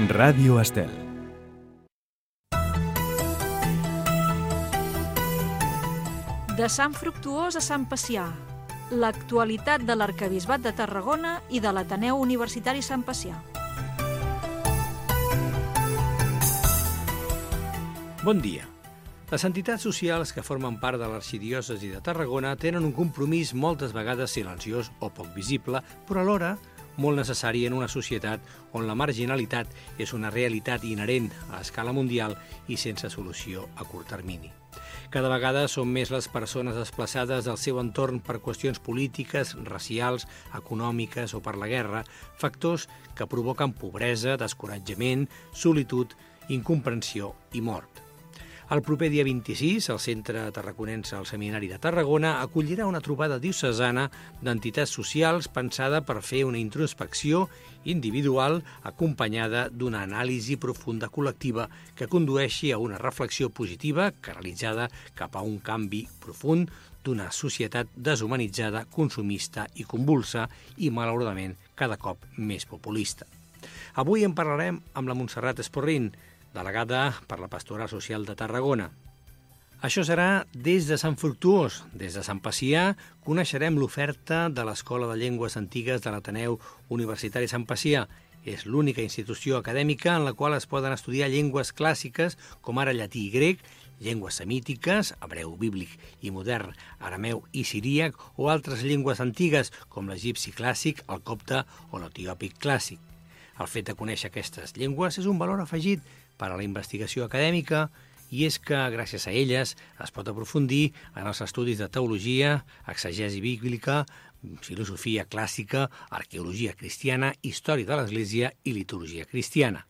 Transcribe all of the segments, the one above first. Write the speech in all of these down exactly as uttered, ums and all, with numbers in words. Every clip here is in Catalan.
Ràdio Estel. De Sant Fructuós a Sant Pacià, l'actualitat de l'Arquebisbat de Tarragona i de l'Ateneu Universitari Sant Pacià. Bon dia. Les entitats socials que formen part de l'arxidiòcesi de Tarragona tenen un compromís moltes vegades silenciós o poc visible, però alhora molt necessari en una societat on la marginalitat és una realitat inherent a escala mundial i sense solució a curt termini. Cada vegada són més les persones desplaçades del seu entorn per qüestions polítiques, racials, econòmiques o per la guerra, factors que provoquen pobresa, descoratjament, solitud, incomprensió i mort. El proper dia vint-i-sis, el Centre Tarraconense al Seminari de Tarragona acollirà una trobada diocesana d'entitats socials pensada per fer una introspecció individual acompanyada d'una anàlisi profunda col·lectiva que condueixi a una reflexió positiva canalitzada cap a un canvi profund d'una societat deshumanitzada, consumista i convulsa i, malauradament, cada cop més populista. Avui en parlarem amb la Montserrat Esporrin, delegada per la Pastoral Social de Tarragona. Això serà des de Sant Fructuós. Des de Sant Pacià coneixerem l'oferta de l'Escola de Llengües Antigues de l'Ateneu Universitari Sant Pacià. És l'única institució acadèmica en la qual es poden estudiar llengües clàssiques com ara llatí i grec, llengües semítiques, hebreu bíblic i modern, arameu i siríac o altres llengües antigues com l'egipci clàssic, el copte o l'etiòpic clàssic. El fet de conèixer aquestes llengües és un valor afegit per a la investigació acadèmica i és que, gràcies a elles, es pot aprofundir en els estudis de teologia, exegesi bíblica, filosofia clàssica, arqueologia cristiana, història de l'Església i litúrgia cristiana.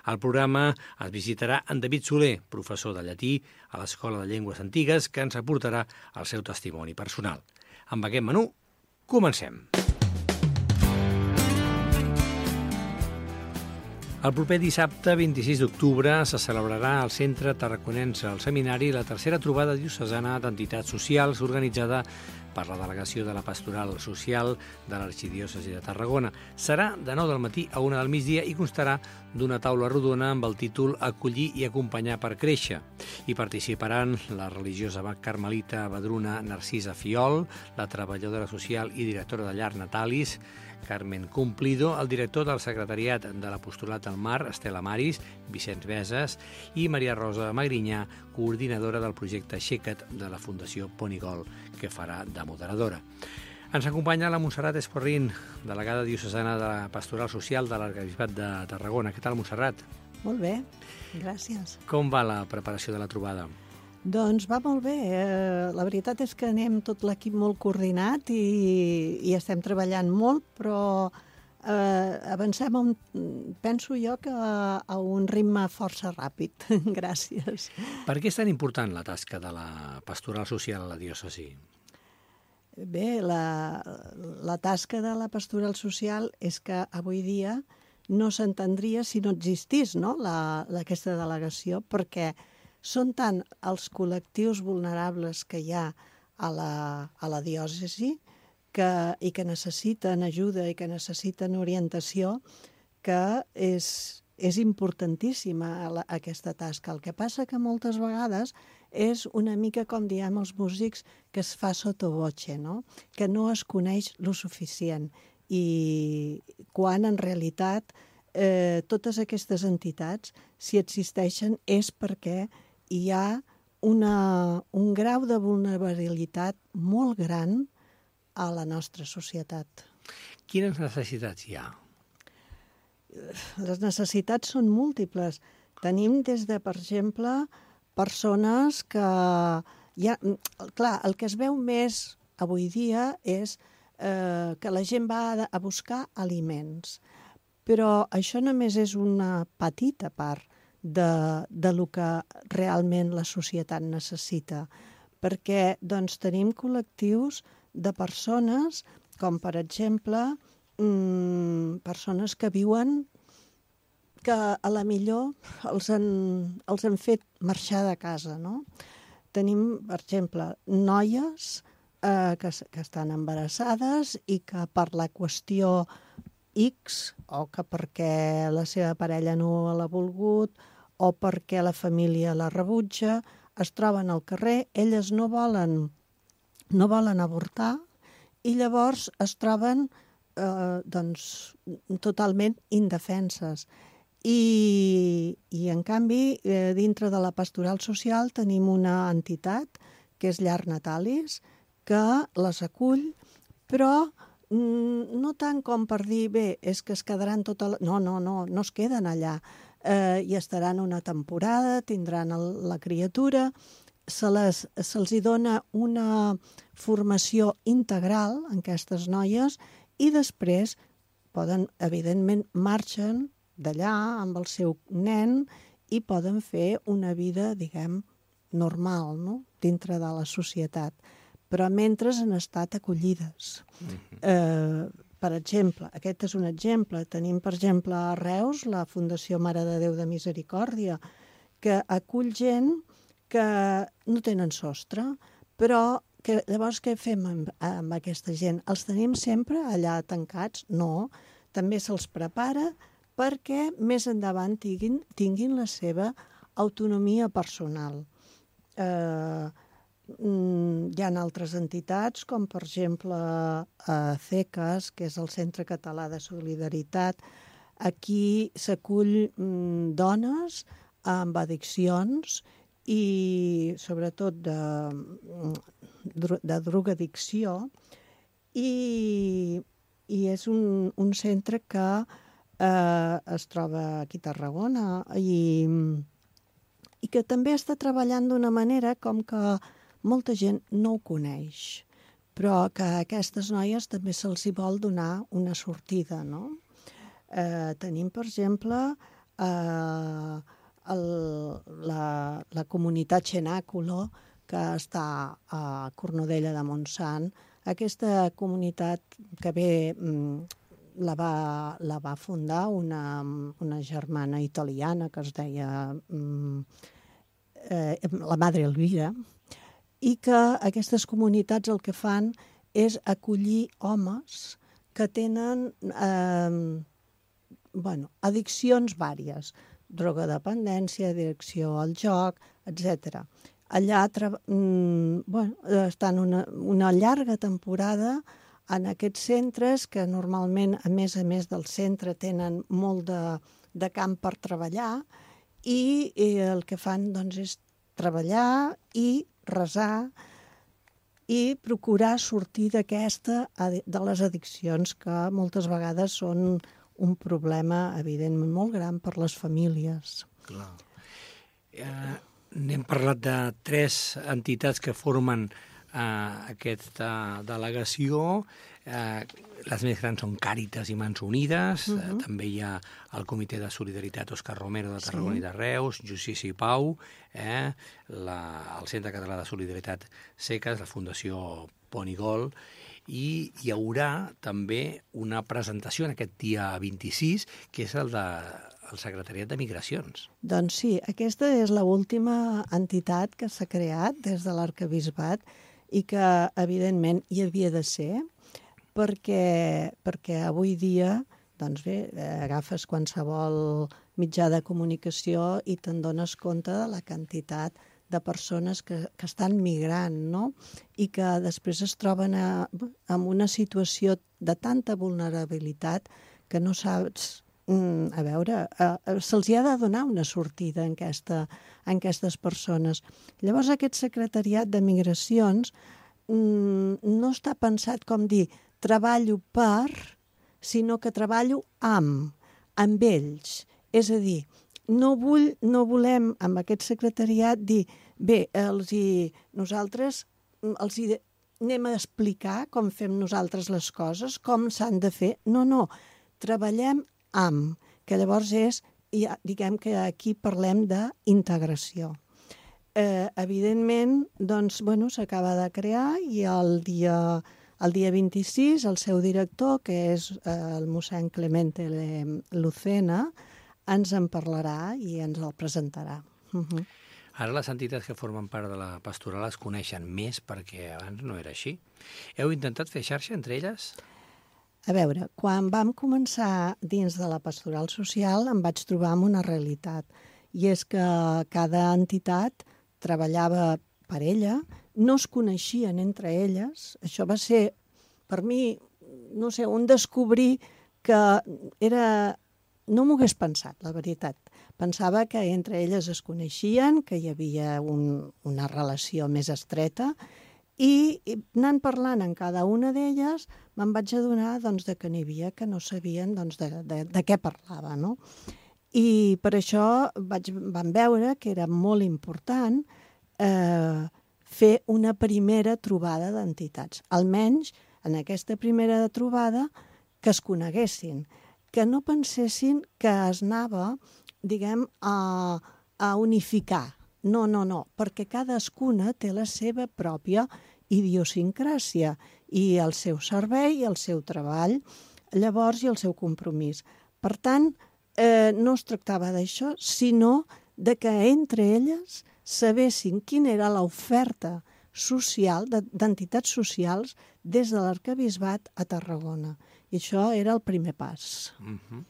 Al programa es visitarà en David Soler, professor de llatí a l'Escola de Llengües Antigues, que ens aportarà el seu testimoni personal. Amb aquest menú, comencem. El proper dissabte, vint-i-sis d'octubre, se celebrarà al Centre Tarraconense al Seminari la tercera trobada diocesana d'entitats socials organitzada per la Delegació de la Pastoral Social de l'Arxidiòcesi de Tarragona. Serà de nou del matí a una del migdia i constarà d'una taula rodona amb el títol Acollir i acompanyar per créixer. Hi participaran la religiosa carmelita Badruna Narcisa Fiol, la treballadora social i directora de llar Natalis, Carmen Cumplido, el director del secretariat de l'Apostolat al Mar, Estela Maris, Vicenç Beses, i Maria Rosa Magrinyà, coordinadora del projecte Aixeca't de la Fundació Ponigol, que farà de moderadora. Ens acompanya la Montserrat Esporrin, delegada diocesana de la Pastoral Social de l'Arquebisbat de Tarragona. Què tal, Montserrat? Molt bé, gràcies. Com va la preparació de la trobada? Doncs va molt bé. Eh, la veritat és que anem tot l'equip molt coordinat i, i estem treballant molt, però eh, avancem, a un, penso jo, que a, a un ritme força ràpid. Gràcies. Per què és tan important la tasca de la Pastoral Social a la diòcesi? Bé, la, la tasca de la Pastoral Social és que avui dia no s'entendria si no existís, no? la, la, aquesta delegació, perquè són tant els col·lectius vulnerables que hi ha a la, a la diòcesi que, i que necessiten ajuda i que necessiten orientació, que és, és importantíssima la, aquesta tasca. El que passa que moltes vegades és una mica, com diem els músics, que es fa sotto voce, no? Que no es coneix lo suficient. I quan en realitat eh, totes aquestes entitats, si existeixen, és perquè hi ha una, un grau de vulnerabilitat molt gran a la nostra societat. Quines necessitats hi ha? Les necessitats són múltiples. Tenim des de, per exemple, persones que... Hi ha, clar, el que es veu més avui dia és eh, que la gent va a, a buscar aliments. Però això només és una petita part de, de lo que realment la societat necessita. Perquè doncs, tenim col·lectius de persones, com per exemple, mmm, persones que viuen que a la millor els han, els han fet marxar de casa, no? Tenim, per exemple, noies eh, que, que estan embarassades i que per la qüestió X, o que perquè la seva parella no l'ha volgut, o perquè la família la rebutja, es troben al carrer, elles no volen, no volen avortar, i llavors es troben eh, doncs, totalment indefenses. I, i en canvi, eh, dintre de la pastoral social tenim una entitat, que és Llar Natalis, que les acull, però mm, no tant com per dir, bé, és que es quedaran tota la... No, no, no, no es queden allà. Eh, hi estaran una temporada, tindran el, la criatura, se les, se'ls hi dona una formació integral en aquestes noies i després poden, evidentment, marxen d'allà amb el seu nen i poden fer una vida, diguem, normal, no?, dintre de la societat. Però mentre han estat acollides. Mm-hmm. eh, per exemple, aquest és un exemple. Tenim, per exemple, a Reus, la Fundació Mare de Déu de Misericòrdia, que acull gent que no tenen sostre, però que, llavors què fem amb, amb aquesta gent? Els tenim sempre allà tancats? No, també se'ls prepara perquè més endavant tinguin, tinguin la seva autonomia personal. Eh, hi ha altres entitats, com per exemple a C E C A S, que és el Centre Català de Solidaritat. Aquí s'acull mm, dones amb addiccions i sobretot de, de drogadicció, i, i és un, un centre que eh, es troba aquí a Tarragona i, i que també està treballant d'una manera com que molta gent no ho coneix, però que a aquestes noies també se'ls hi vol donar una sortida, no? Eh, tenim, per exemple, eh, el, la, la comunitat Xenàculo, que està a Cornudella de Montsant. Aquesta comunitat que ve la va, la va fundar una, una germana italiana que es deia eh, la Madre Elvira, i que aquestes comunitats el que fan és acollir homes que tenen eh, bueno, addiccions vàries, drogodependència, addicció al joc, etcètera. Allà mm, bueno, estan una, una llarga temporada en aquests centres que normalment, a més a més del centre, tenen molt de, de camp per treballar i, i el que fan doncs, és treballar i resar i procurar sortir d'aquesta, de les addiccions, que moltes vegades són un problema, evidentment, molt gran per les famílies. Clar. Eh, n'hem parlat de tres entitats que formen eh, aquesta delegació. Eh, les més grans són Càritas i Mans Unides. Uh-huh. eh, també hi ha el Comitè de Solidaritat Òscar Romero de Tarragona, sí, i de Reus, Justícia i Pau, eh, la, el Centre Català de Solidaritat C E C A S, la Fundació Pont i Gol, i hi haurà també una presentació en aquest dia vint-i-sis, que és el de el Secretariat de Migracions. Doncs sí, aquesta és l'última entitat que s'ha creat des de l'Arquebisbat i que, evidentment, hi havia de ser, perquè, perquè avui dia, doncs bé, agafes qualsevol mitjà de comunicació i te'n dones compte de la quantitat de persones que, que estan migrant, no? I que després es troben a, en una situació de tanta vulnerabilitat que no saps... A veure, eh, se'ls ha de donar una sortida en, aquesta, en aquestes persones. Llavors, aquest secretariat de migracions mm, no està pensat com dir treballo per, sinó que treballo amb, amb ells. És a dir, no, vull, no volem amb aquest secretariat dir bé, els hi, nosaltres els hi anem a explicar com fem nosaltres les coses, com s'han de fer. No, no, treballem amb, que llavors és, ja, diguem que aquí parlem d'integració. Eh, evidentment, doncs, bueno, s'acaba de crear i el dia, el dia vint-i-sis el seu director, que és eh, el mossèn Clemente Lucena, ens en parlarà i ens el presentarà. Uh-huh. Ara les entitats que formen part de la pastoral es coneixen més perquè abans no era així. Heu intentat fer xarxa entre elles? A veure, quan vam començar dins de la pastoral social em vaig trobar amb una realitat, i és que cada entitat treballava per ella, no es coneixien entre elles. Això va ser, per mi, no sé, un descobrir que era... No m'ho hagués pensat, la veritat. Pensava que entre elles es coneixien, que hi havia un, una relació més estreta, i, i anant parlant en cada una d'elles me'n vaig adonar doncs, de que n'hi havia que no sabien doncs, de, de, de què parlava, no? I per això vaig, vam veure que era molt important eh, fer una primera trobada d'entitats. Almenys, en aquesta primera trobada, que es coneguessin, que no pensessin que es anava, diguem, a, a unificar. No, no, no, perquè cadascuna té la seva pròpia idiosincràsia i el seu servei, el seu treball, llavors i el seu compromís. Per tant, eh, no es tractava d'això, sinó de que entre elles sabessin quina era l'oferta social, d'entitats socials, des de l'Arquebisbat a Tarragona. I això era el primer pas. Uh-huh.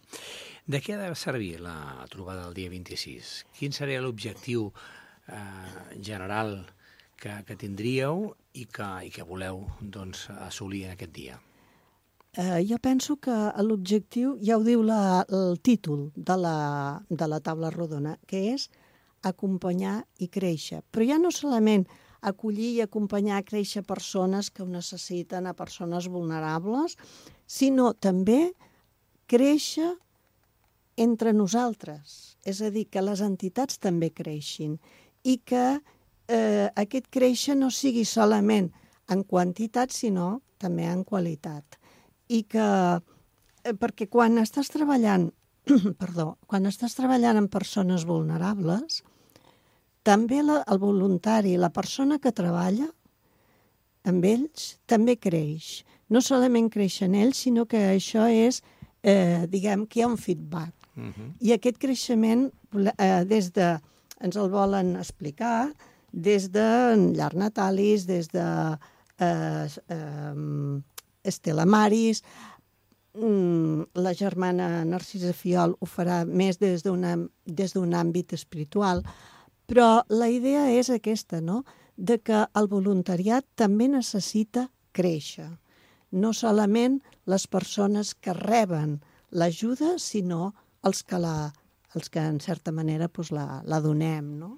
De què ha de servir la trobada del dia vint-i-sis? Quin seria l'objectiu eh, general que, que tindríeu i que, i que voleu doncs, assolir en aquest dia? Eh, jo penso que l'objectiu, ja ho diu la, el títol de la, de la taula rodona, que és acompanyar i créixer. Però ja no solament acollir i acompanyar a créixer persones que ho necessiten, a persones vulnerables, sinó també créixer entre nosaltres. És a dir, que les entitats també creixin i que eh, aquest créixer no sigui solament en quantitat, sinó també en qualitat. I que, eh, perquè quan estàs treballant, perdó, quan estàs treballant amb persones vulnerables, també la, el voluntari, la persona que treballa amb ells, també creix. No solament creix en ells, sinó que això és, eh, diguem, que hi ha un feedback. Uh-huh. I aquest creixement, eh, des de, ens el volen explicar, des de Llar Natalis, des de eh, eh, Estela Maris, la germana Narcisa Fiol ho farà més des d'un àmbit espiritual, però la idea és aquesta, no?, de que el voluntariat també necessita créixer. No solament les persones que reben l'ajuda, sinó els que, la, els que en certa manera doncs, la, la donem, no?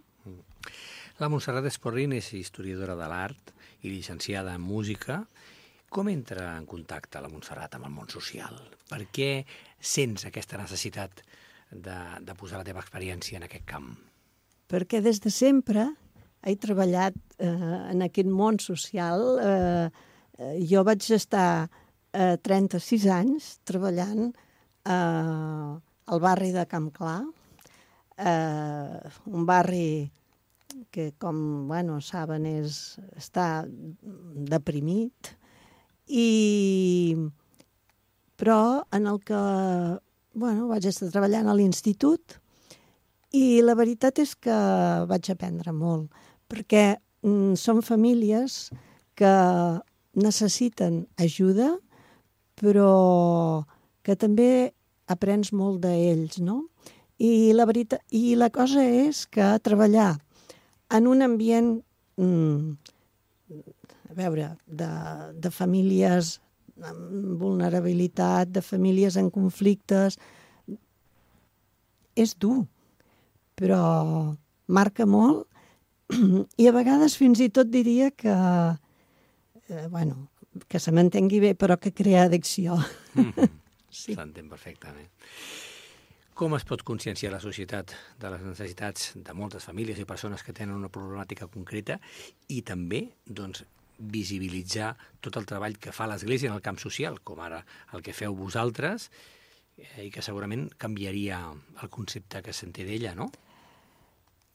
La Montserrat Esporrin és historiadora de l'art i llicenciada en música. Com entra en contacte la Montserrat amb el món social? Per què sents aquesta necessitat de, de posar la teva experiència en aquest camp? Perquè des de sempre he treballat eh, en aquest món social. Eh, jo vaig estar eh, trenta-sis anys treballant eh, al barri de Camp Clar, eh, un barri que, com bueno, saben, és, està deprimit, i, però en el que bueno, vaig estar treballant a l'institut. I la veritat és que vaig aprendre molt, perquè mm, són famílies que necessiten ajuda, però que també aprens molt d'ells, no? I la veritat, i la cosa és que treballar en un ambient, mm, a veure, de, de famílies amb vulnerabilitat, de famílies en conflictes, és dur, però marca molt i a vegades fins i tot diria que, eh, bueno, que se m'entengui bé, però que crea addicció. Mm-hmm. Sí. S'entén perfectament. Com es pot conscienciar la societat de les necessitats de moltes famílies i persones que tenen una problemàtica concreta i també, doncs, visibilitzar tot el treball que fa l'Església en el camp social, com ara el que feu vosaltres, eh, i que segurament canviaria el concepte que se'n té d'ella, no?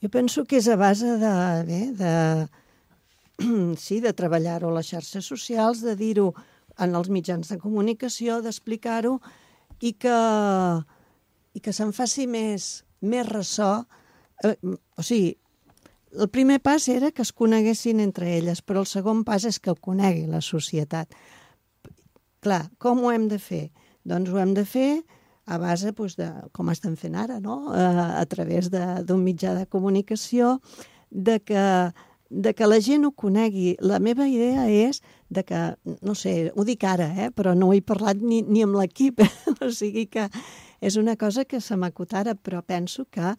Jo penso que és a base de, bé, de, sí, de treballar-ho a les xarxes socials, de dir-ho en els mitjans de comunicació, d'explicar-ho i que, i que se'n faci més, més ressò. Eh, o sigui, el primer pas era que es coneguessin entre elles, però el segon pas és que ho conegui la societat. clar, com ho hem de fer? Doncs ho hem de fer a base doncs, de com estem fent ara, no? a, a través d'un mitjà de comunicació, de que, de que la gent ho conegui. La meva idea és de que, no sé, ho dic ara, eh? però no ho he parlat ni, ni amb l'equip, o sigui que és una cosa que se m'acut ara, però penso que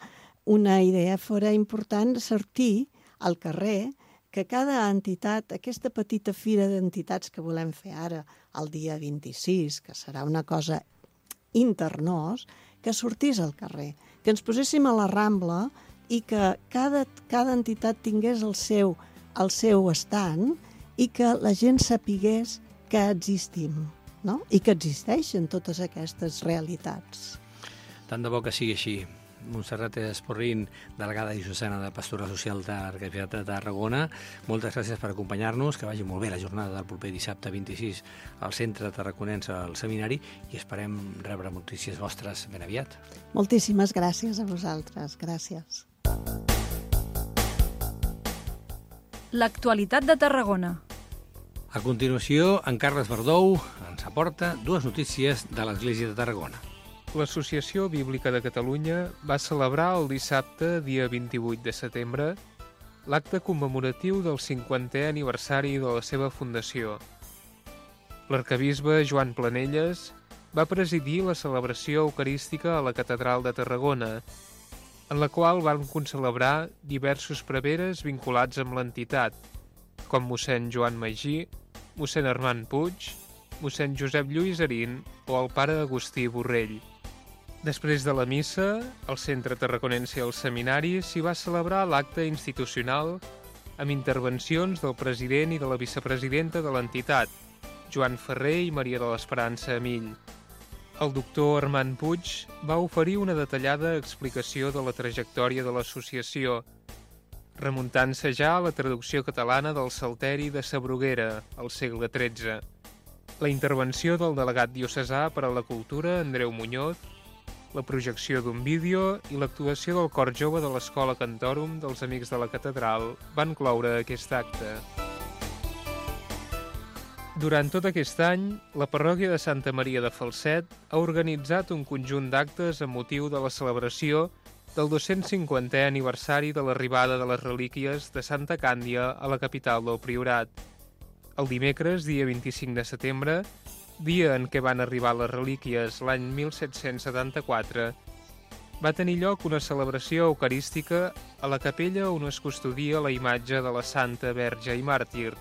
una idea fora important sortir al carrer, que cada entitat, aquesta petita fira d'entitats que volem fer ara, el dia vint-i-sis, que serà una cosa internós, que sortís al carrer, que ens poséssim a la Rambla i que cada, cada entitat tingués el seu, el seu estand i que la gent sapigués que existim, no? I que existeixen totes aquestes realitats. Tant de bo que sigui així. Montserrat Esporrin, delegada diocesana de Pastoral Social de l'Arquebisbat de Tarragona, moltes gràcies per acompanyar-nos, que vagi molt bé la jornada del proper dissabte vint-i-sis al Centre Tarraconense al Seminari i esperem rebre notícies vostres ben aviat. Moltíssimes gràcies a vosaltres, gràcies. L'actualitat de Tarragona. A continuació, en Carles Verdou ens aporta dues notícies de l'Església de Tarragona. L'Associació Bíblica de Catalunya va celebrar el dissabte, dia vint-i-vuit de setembre, l'acte commemoratiu del cinquantè aniversari de la seva fundació. L'arquebisbe Joan Planelles va presidir la celebració eucarística a la Catedral de Tarragona, en la qual van concelebrar diversos preveres vinculats amb l'entitat, com mossèn Joan Magí, mossèn Armand Puig, mossèn Josep Lluís Arín o el pare Agustí Borrell. Després de la missa, al Centre Tarraconense i al Seminari s'hi va celebrar l'acte institucional amb intervencions del president i de la vicepresidenta de l'entitat, Joan Ferrer i Maria de l'Esperança Amill. El doctor Armand Puig va oferir una detallada explicació de la trajectòria de l'associació, remuntant-se ja a la traducció catalana del Salteri de sa Bruguera, al segle tretze. La intervenció del delegat diocesà per a la cultura, Andreu Muñoz, la projecció d'un vídeo i l'actuació del cor jove de l'Escola Cantorum dels Amics de la Catedral van cloure aquest acte. Durant tot aquest any, la parròquia de Santa Maria de Falset ha organitzat un conjunt d'actes amb motiu de la celebració del dos-cents cinquantè aniversari de l'arribada de les relíquies de Santa Càndia a la capital del Priorat. El dimecres, dia vint-i-cinc de setembre, dia en què van arribar les relíquies l'any mil set-cents setanta-quatre, va tenir lloc una celebració eucarística a la capella on es custodia la imatge de la Santa Verge i Màrtir,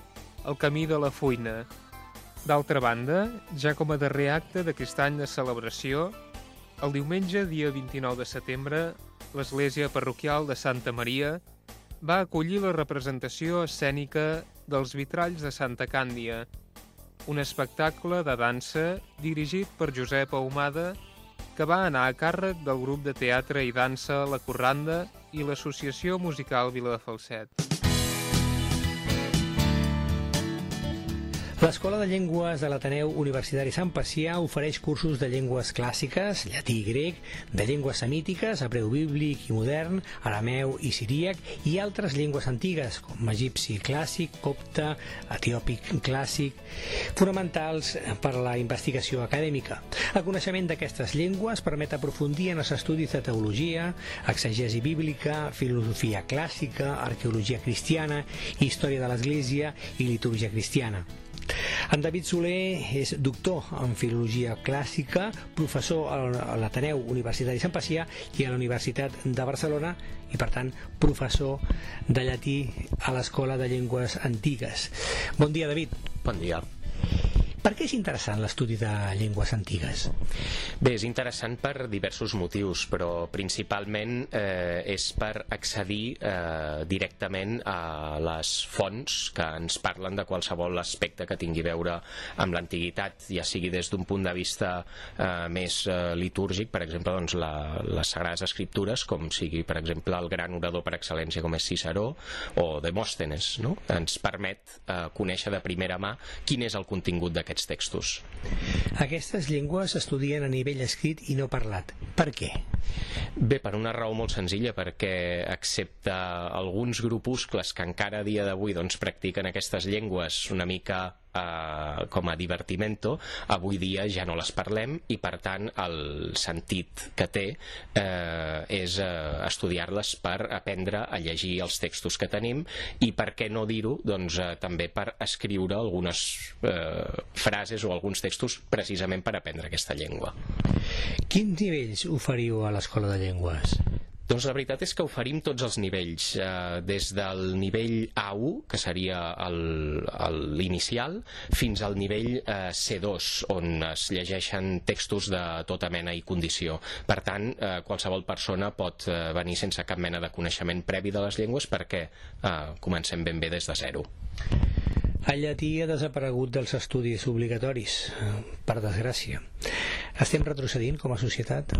el Camí de la Fuina. D'altra banda, ja com a darrer acte d'aquest any de celebració, el diumenge, dia vint-i-nou de setembre, l'església parroquial de Santa Maria va acollir la representació escènica dels vitralls de Santa Càndia, un espectacle de dansa dirigit per Josep Ahumada que va anar a càrrec del grup de teatre i dansa La Corranda i l'Associació Musical Viladefalset. L'Escola de Llengües de l'Ateneu Universitari Sant Pacià ofereix cursos de llengües clàssiques, llatí i grec, de llengües semítiques, hebreu bíblic i modern, arameu i siríac i altres llengües antigues, com egipci clàssic, copte, etiòpic clàssic, fonamentals per a la investigació acadèmica. El coneixement d'aquestes llengües permet aprofundir en els estudis de teologia, exegesi bíblica, filosofia clàssica, arqueologia cristiana, història de l'Església i litúrgia cristiana. En David Soler és doctor en Filologia Clàssica, professor a l'Ateneu Universitari Sant Pacià i a la Universitat de Barcelona i, per tant, professor de llatí a l'Escola de Llengües Antigues. Bon dia, David. Bon dia. Per què és interessant l'estudi de llengües antigues? Bé, és interessant per diversos motius, però principalment eh, és per accedir eh, directament a les fonts que ens parlen de qualsevol aspecte que tingui a veure amb l'antiguitat, ja sigui des d'un punt de vista eh, més eh, litúrgic, per exemple, doncs, la, les Sagrades Escriptures, com sigui, per exemple, el gran orador per excel·lència com és Ciceró, o Demòstenes, no? Ens permet eh, conèixer de primera mà quin és el contingut d'aquest aquests textos. Aquestes llengües s'estudien a nivell escrit i no parlat. Per què? Bé, per una raó molt senzilla, perquè excepte alguns grupuscles que encara a dia d'avui doncs, practiquen aquestes llengües una mica eh, com a divertimento, avui dia ja no les parlem i per tant el sentit que té eh, és eh, estudiar-les per aprendre a llegir els textos que tenim i per què no dir-ho, doncs eh, també per escriure algunes eh, frases o alguns textos precisament per aprendre aquesta llengua. Quins nivells oferiu a l'Escola de Llengües? Doncs la veritat és que oferim tots els nivells, eh, des del nivell A u, que seria l'inicial, fins al nivell eh, C dos, on es llegeixen textos de tota mena i condició. Per tant, eh, qualsevol persona pot eh, venir sense cap mena de coneixement previ de les llengües perquè eh, comencem ben bé des de zero. El llatí ha desaparegut dels estudis obligatoris, per desgràcia. Estem retrocedint com a societat?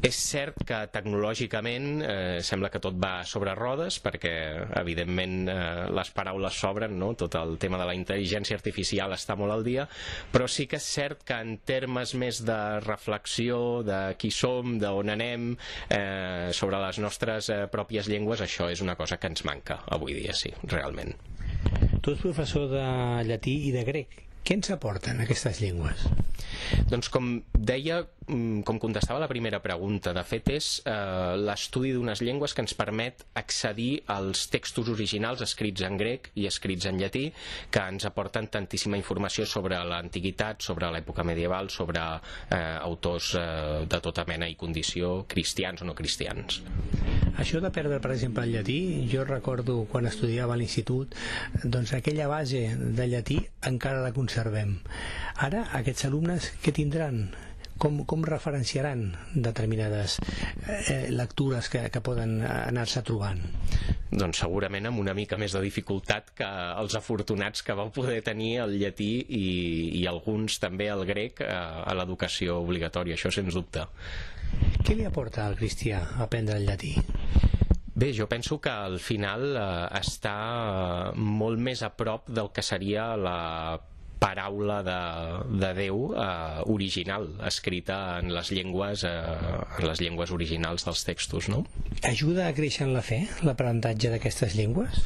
És cert que tecnològicament eh, sembla que tot va sobre rodes perquè evidentment eh, les paraules s'obren, no? Tot el tema de la intel·ligència artificial està molt al dia, però sí que és cert que en termes més de reflexió de qui som, d'on anem, eh, sobre les nostres eh, pròpies llengües, això és una cosa que ens manca avui dia, sí, realment. Tu ets professor de llatí i de grec. Què ens aporten aquestes llengües? Doncs com deia, com contestava la primera pregunta, de fet és eh, l'estudi d'unes llengües que ens permet accedir als textos originals escrits en grec i escrits en llatí, que ens aporten tantíssima informació sobre l'antiguitat, sobre l'època medieval, sobre eh, autors eh, de tota mena i condició, cristians o no cristians. Això de perdre, per exemple, el llatí, jo recordo quan estudiava a l'institut, doncs aquella base de llatí encara la conservem. Ara, aquests alumnes, què tindran? Com, com referenciaran determinades eh, lectures que, que poden anar-se trobant? Doncs segurament amb una mica més de dificultat que els afortunats que vau poder tenir el llatí i, i alguns també el grec a, a l'educació obligatòria, això sens dubte. Què li aporta al cristià aprendre el llatí? Bé, jo penso que al final eh, està molt més a prop del que seria la paraula de, de Déu eh, original, escrita en les llengües eh, en les llengües originals dels textos, no? Ajuda a créixer en la fe, l'aprenentatge d'aquestes llengües?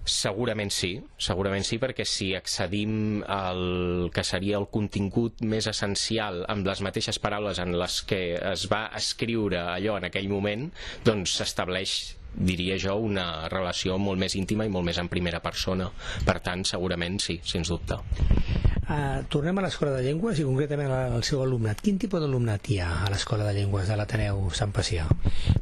Segurament sí, segurament sí, perquè si accedim al que seria el contingut més essencial amb les mateixes paraules en les que es va escriure allò en aquell moment, doncs s'estableix, diria jo, una relació molt més íntima i molt més en primera persona. Per tant, segurament sí, sens dubte. Uh, tornem a l'Escola de Llengües i concretament al seu alumnat. Quin tipus d'alumnat hi ha a l'Escola de Llengües de l'Ateneu Sant Pacià?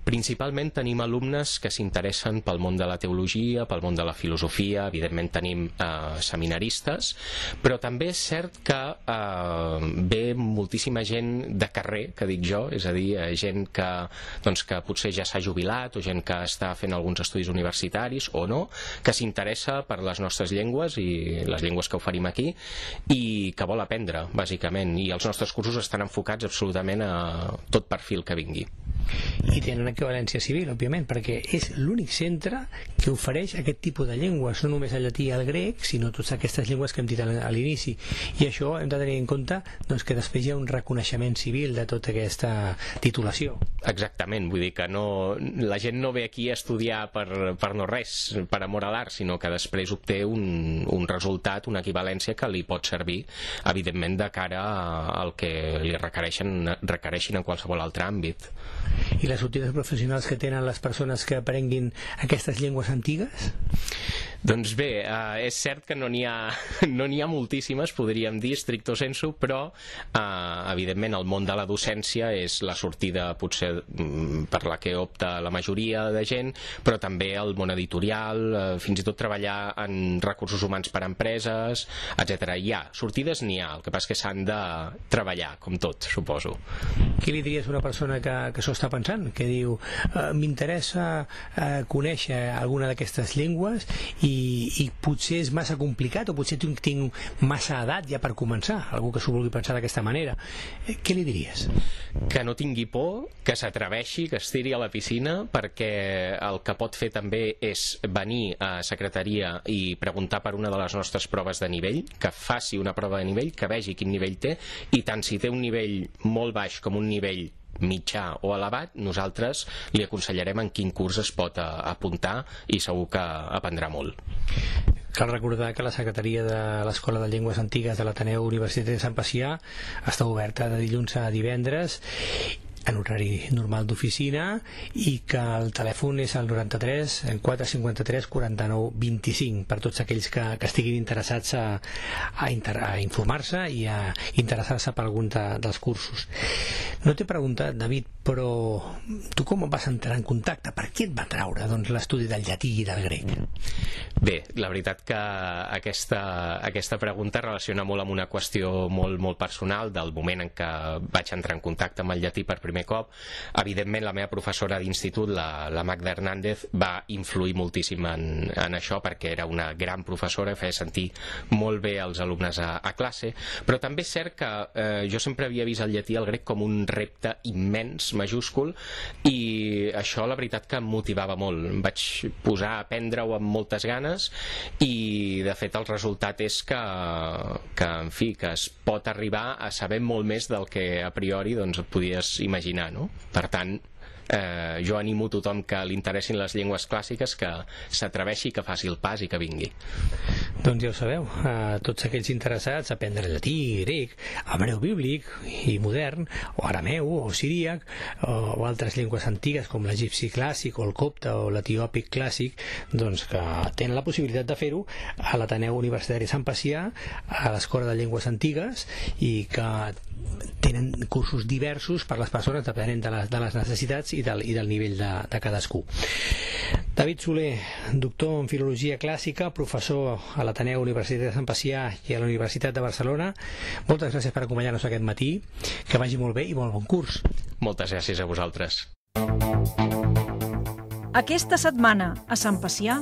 Principalment tenim alumnes que s'interessen pel món de la teologia, pel món de la filosofia, evidentment tenim eh, seminaristes, però també és cert que eh, ve moltíssima gent de carrer, que dic jo, és a dir, eh, gent que, doncs, que potser ja s'ha jubilat o gent que està fent alguns estudis universitaris o no, que s'interessa per les nostres llengües i les llengües que oferim aquí i que vol aprendre, bàsicament, i els nostres cursos estan enfocats absolutament a tot perfil que vingui. I tenen equivalència civil, òbviament, perquè és l'únic centre que ofereix aquest tipus de llengües, no només el llatí i el grec, sinó totes aquestes llengües que hem dit a l'inici. I això hem de tenir en compte doncs, que després hi ha un reconeixement civil de tota aquesta titulació. Exactament, vull dir que no, la gent no ve aquí a estudiar per, per no res, per amor a l'art, sinó que després obté un, un resultat, una equivalència que li pot servir, evidentment, de cara al que li requereixen, requereixin en qualsevol altre àmbit. I les sortides professionals que tenen les persones que aprenguin aquestes llengües antigues? Doncs bé, eh, és cert que no n'hi ha, no n'hi ha moltíssimes, podríem dir, stricto sensu, però eh, evidentment el món de la docència és la sortida potser per la que opta la majoria de gent, però també el món editorial, eh, fins i tot treballar en recursos humans per a empreses, etcètera. Hi ha, sortides n'hi ha, el que passa és que s'han de treballar, com tot, suposo. Què li diries a una persona que, que s'ho està pensant, que diu eh, m'interessa eh, conèixer alguna d'aquestes llengües i I, i potser és massa complicat o potser tinc, tinc massa edat ja per començar, algú que s'ho vulgui pensar d'aquesta manera, eh, què li diries? Que no tingui por, que s'atreveixi, que es tiri a la piscina, perquè el que pot fer també és venir a secretaria i preguntar per una de les nostres proves de nivell, que faci una prova de nivell, que vegi quin nivell té, i tant si té un nivell molt baix com un nivell mitjà o elevat, nosaltres li aconsellarem en quin curs es pot apuntar i segur que aprendrà molt. Cal recordar que la Secretaria de l'Escola de Llengües Antigues de l'Ateneu Universitari de Sant Pacià està oberta de dilluns a divendres en horari normal d'oficina i que el telèfon és el noranta-tres quatre cinquanta-tres quaranta-nou vint-i-cinc per tots aquells que, que estiguin interessats a, a, inter, a informar-se i a interessar-se per algun de, dels cursos. No t'he preguntat, David, però tu com vas entrar en contacte? Per què et va traure doncs, l'estudi del llatí i del grec? Bé, la veritat que aquesta, aquesta pregunta relaciona molt amb una qüestió molt, molt personal del moment en què vaig entrar en contacte amb el llatí per primer cop. Evidentment, la meva professora d'institut, la, la Magda Hernández, va influir moltíssim en, en això perquè era una gran professora, feia sentir molt bé els alumnes a, a classe, però també és cert que eh, jo sempre havia vist el llatí i el grec com un repte immens, majúscul, i això la veritat que em motivava molt. Em vaig posar a aprendre-ho amb moltes ganes i de fet el resultat és que, que en fi, que es pot arribar a saber molt més del que a priori doncs, et podies imaginar, no? Per tant, eh, jo animo tothom que li interessin les llengües clàssiques que s'atreveixi, que faci el pas i que vingui. Doncs ja ho sabeu, a tots aquells interessats a aprendre llatí, grec, hebreu bíblic i modern, o arameu, o siríac, o, o altres llengües antigues com l'egipci clàssic, o el copte, o l'etiòpic clàssic, doncs que tenen la possibilitat de fer-ho a l'Ateneu Universitari Sant Pacià, a l'Escola de Llengües Antigues, i que tenen cursos diversos per les persones depenent de les, de les necessitats i del, i del nivell de, de cadascú. David Soler, doctor en Filologia Clàssica, professor a l'Ateneu Universitari de Sant Pacià i a la Universitat de Barcelona, moltes gràcies per acompanyar-nos aquest matí, que vagi molt bé i molt bon curs. Moltes gràcies a vosaltres. Aquesta setmana a Sant Pacià.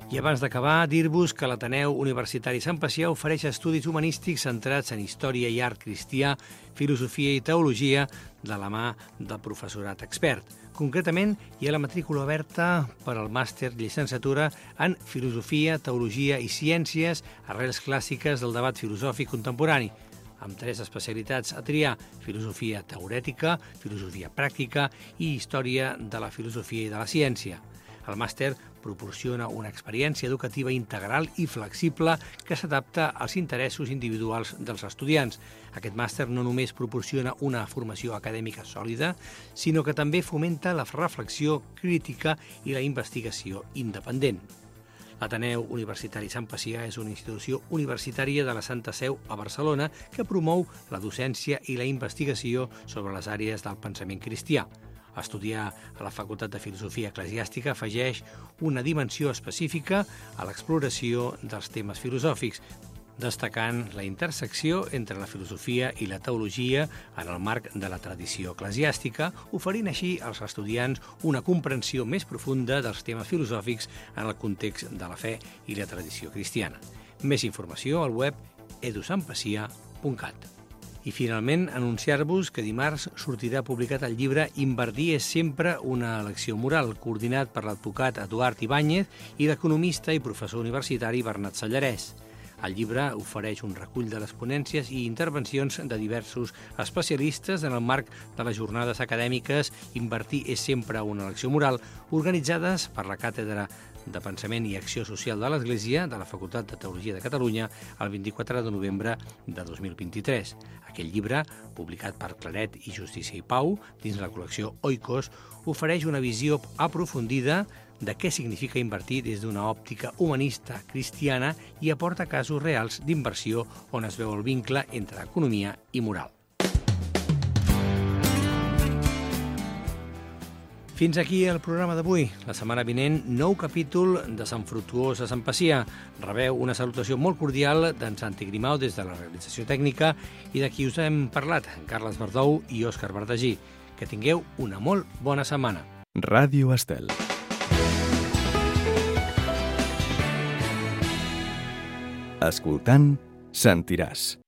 I abans d'acabar, dir-vos que l'Ateneu Universitari Sant Pacià ofereix estudis humanístics centrats en història i art cristià, filosofia i teologia de la mà del professorat expert. Concretament, hi ha la matrícula oberta per al màster llicenciatura en Filosofia, Teologia i Ciències, arrels clàssiques del debat filosòfic contemporani, amb tres especialitats a triar: filosofia teorètica, filosofia pràctica i història de la filosofia i de la ciència. El màster proporciona una experiència educativa integral i flexible que s'adapta als interessos individuals dels estudiants. Aquest màster no només proporciona una formació acadèmica sòlida, sinó que també fomenta la reflexió crítica i la investigació independent. L'Ateneu Universitari Sant Pacià és una institució universitària de la Santa Seu a Barcelona que promou la docència i la investigació sobre les àrees del pensament cristià. Estudiar a la Facultat de Filosofia Eclesiàstica afegeix una dimensió específica a l'exploració dels temes filosòfics, destacant la intersecció entre la filosofia i la teologia en el marc de la tradició eclesiàstica, oferint així als estudiants una comprensió més profunda dels temes filosòfics en el context de la fe i la tradició cristiana. Més informació al web edu sant pacià punt cat. I finalment, anunciar-vos que dimarts sortirà publicat el llibre Invertir és sempre una elecció moral, coordinat per l'advocat Eduard Ibáñez i l'economista i professor universitari Bernat Sallarès. El llibre ofereix un recull de les ponències i intervencions de diversos especialistes en el marc de les jornades acadèmiques Invertir és sempre una elecció moral, organitzades per la Càtedra de Pensament i Acció Social de l'Església de la Facultat de Teologia de Catalunya el vint-i-quatre de novembre de dos mil vint-i-tres. Aquest llibre, publicat per Claret i Justícia i Pau, dins la col·lecció Oikos, ofereix una visió aprofundida de què significa invertir des d'una òptica humanista cristiana i aporta casos reals d'inversió on es veu el vincle entre economia i moral. Fins aquí el programa d'avui. La setmana vinent, nou capítol de Sant Fructuós a Sant Pacià. Rebeu una salutació molt cordial d'en Santi Grimau des de la realització tècnica i de qui us hem parlat, Carles Verdou i Òscar Verdagí. Que tingueu una molt bona setmana. Ràdio Estel. Escoltant, sentiràs.